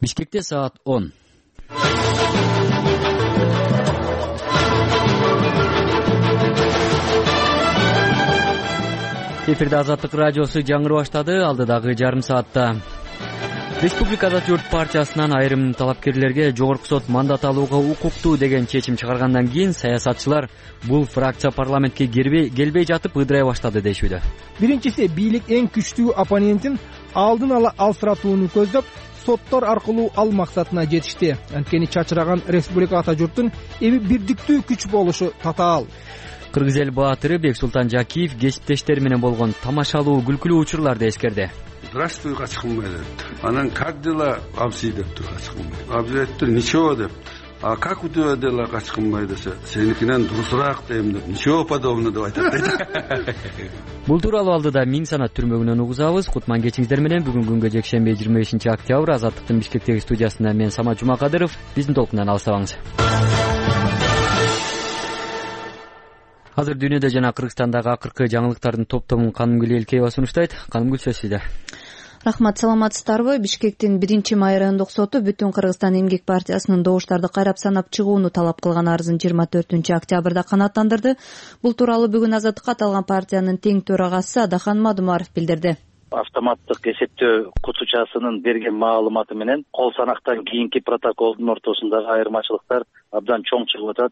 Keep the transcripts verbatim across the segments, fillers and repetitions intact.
Бишкекте саат он. Эфирде Азаттык радиосу жаңырып баштады. Алдыдагы жарым саатта Республикада журт партиясынан айрым талапкерлерге жогорку сот мандат алууга укуктуу деген чечим чыгаргандан кийин саясатчылар бул фракция парламентке келбей жатып ыдырай баштады дешүүдө. Биринчиси, бийлик эң күчтүү оппонентин алдын ала алсыратууну көздөп, соттор аркылуу ал максатына жетишти. Анткени чачыраган республика ата журттун эми бирдиктүү күч болушу татаал. Кыргыз эл баатыры Бексултан Жакиев кесиптештери менен болгон тамашалуу күлкүлүү учурларды эскерди. Здравствуй, Качкынбай депти. Анан как дела, Абзий дептир Качкынбай. Абзий айтты, ничего депти. А как у тебя дела, Качкынбай десе, сеникинен дурусураак дейм деп, ничего подобного деп айтат дейт. Бул тууралуу алдыда миң санат түрмөгүнөн угузабыз. Кутман кечиңиздер менен бүгүн күнгө жекшемби жыйырма бешинчи октябрь Азаттыктын Бишкектеги студиясында мен Самат Жумакадыров. Биздин толкундан алыстабаңыз. Азыр дүйнөдө жана Кыргызстандагы акыркы жаңылыктардын топтомун Канымгүл Элкеева сунуштайт. Канымгүл, сөз сизде. Рахмат, саламатсыздарбы? Бишкектин биринчи май райондук соту Бүтүн Кыргызстан эмгек партиясынын добуштарды кайрап санап чыгууну талап кылган арызын жыйырма төртүнчү октябрда канааттандырды. Бул тууралуу бүгүн Азаттыкка аталган партиянын тең төрагасы Адахан Мадумаров билдирди. Автоматтык эсептөө кутучасынын берген маалыматы менен кол санактан кийинки протоколдун ортосундагы айырмачылыктар абдан чоң чыгып атат.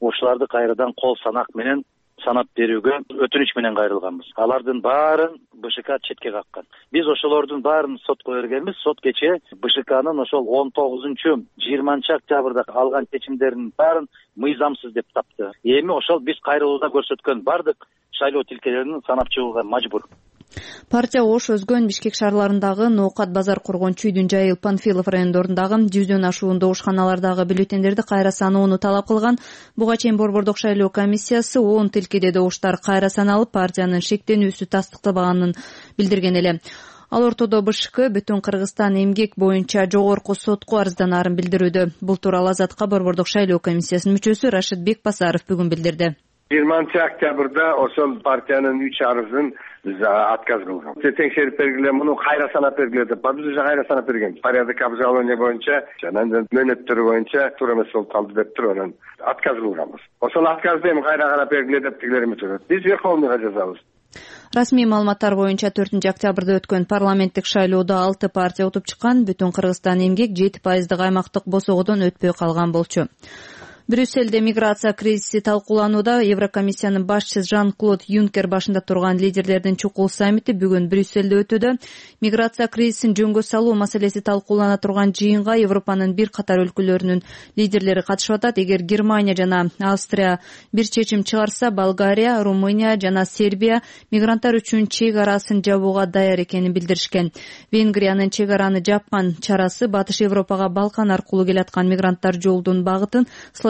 Ушуларды кайрадан кол санак менен санап берүүгө өтүнүч менен кайрылганбыз. Алардын баарын БШК четке каккан. Биз ошолордун баарын сотко бергенбиз. Сот кечээ БШКнын ошол он тогузунчу жыйырманчы октябрда алган чечимдеринин баарын мыйзамсыз деп тапты. Эми ошол биз кайрылууда көрсөткөн бардык шайлоо тилкелерин санап чыгууга мажбур. Партия Ош, Өзгөн, Бишкек шаарларындагы Ноокат базар кургон Чүйдүн жайыл, Панфилов райондорундагы жүздөн ашуун добушканалардагы бюллетендерди кайра саноону талап кылган. Буга чейин Борбордук шайлоо комиссиясы он тилкеде добуштар кайра саналып, партиянын шектенүүсү тастыкталбаганын билдирген эле. Ал ортодо БШК Бүтүн Кыргызстан эмгек боюнча жогорку сотко арызданаарын билдирүүдө. Бул тууралуу Азатка Борбордук шайлоо комиссиясынын мүчөсү Рашид Бекбасаров бүгүн билдирди. жыйырманчы октябрда ошол партиянын үч арызын отказ кылган. Текшерип бергиле, муну кайра санап бергиле деп, биз уже кайра санап берген. Порядок обжалования боюнча жана мөөнөттөрү боюнча туура эмес болуп калды деп туруп анан отказ кылганбыз. Ошол отказды эми кайра карап бергиле деп тигилер үмүт. Биз Верховныйга жазабыз. Расмий маалыматтар боюнча төртүнчү октябрда өткөн парламенттик шайлоодо алты партия утуп чыккан. Бүтүн Кыргызстан эмгек жети пайыздык аймактык босогодон өтпөй калган болчу. Брюсселде миграция кризиси талкууланууда. Еврокомиссиянын башчысы Жан-Клод Юнкер башында турган лидерлердин чукул саммити бүгүн Брюсселде өтүүдө. Миграция кризисин жөнгө салуу маселеси талкуулана турган жыйынга Европанын бир катар өлкөлөрүнүн лидерлери катышып атат. Эгер Германия жана Австрия бир чечим чыгарса, Болгария, Румыния жана Сербия мигранттар үчүн чек арасын жабууга даяр экенин билдиришкен. Венгриянын чек араны жапкан чарасы Батыш Европага Балкан аркылуу келаткан мигранттар жолдун багытын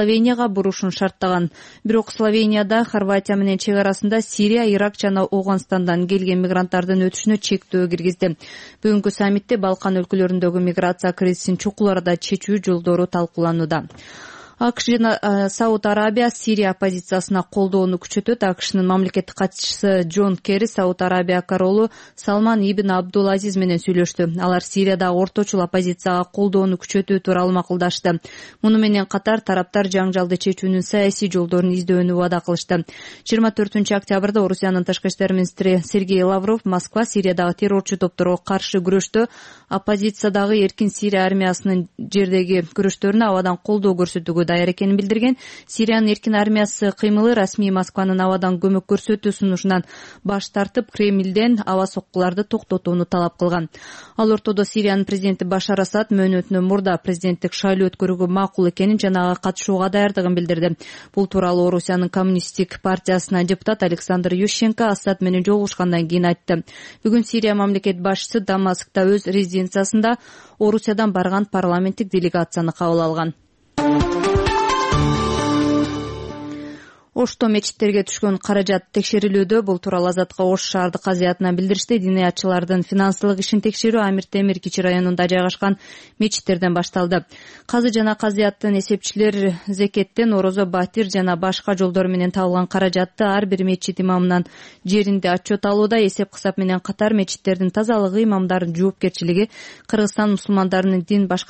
Словенияга бурушун шарттаган. Бирок Словенияда Хорватия менен чек арасында Сирия, Ирак жана Ооганстандан келген мигранттардын өтүшүнө чектөө киргизди. Бүгүнкү саммитте Балкан өлкөлөрүндөгү миграция кризисин чукул арада чечүү жолдору талкууланууда. АКШ жана Сауд Арабия Сирия оппозициясына колдоону күчөтөт. АКШнын мамлекеттик катчысы Джон Керри Сауд Арабия королу Салман ибн Абдул-Азиз менен сүйлөштү. Алар Сириядагы орточул оппозицияга колдоону күчөтүү тууралуу макулдашты. Муну менен катар тараптар жаңжалды чечүүнүн саясий жолдорун издөөнү убада кылышты. жыйырма төртүнчү октябрда Орусиянын тышкы иштер министри Сергей Лавров Москва Сириядагы террорчу топторго каршы күрөштө оппозициядагы Эркин Сирия армиясынын жердеги күрөштөрүнө абадан колдоо көрсөтүүгө даяр экенин билдирген. Сириянын эркин армиясы кыймылы расмий Москванын абадан көмөк көрсөтүү сунушунан баш тартып, Кремлден аба соккуларды токтотууну талап кылган. Ал ортодо Сириянын президенти Башар Асад мөөнөтүнөн мурда президенттик шайлоо өткөрүүгө макул экенин жана ага катышууга даярдыгын билдирди. Бул тууралуу Орусиянын коммунисттик партиясынын депутат Александр Ющенко Асад менен жолугушкандан кийин айтты. Бүгүн Сирия мамлекет башчысы Дамаскта өз резиденциясында Орусиядан барган парламенттик делегацияны кабыл алган. Ошто мечиттерге түшкөн каражат текшерилүүдө. Бул тууралуу Азатка Ош шаардык казыятынан билдиришти. Диниятчылардын финансылык ишин текшерүү Амир Темир Кичи районунда жайгашкан мечиттерден башталды. Казы жана казыяттын эсепчилер зекеттен, орозо, батир жана башка жолдор менен табылган каражатты ар бир мечит имамынан жеринде отчет алууда. Эсеп-кысап менен катар мечиттердин тазалыгы, имамдардын жоопкерчилиги Кыргызстан мусулмандарынын дин башкармасы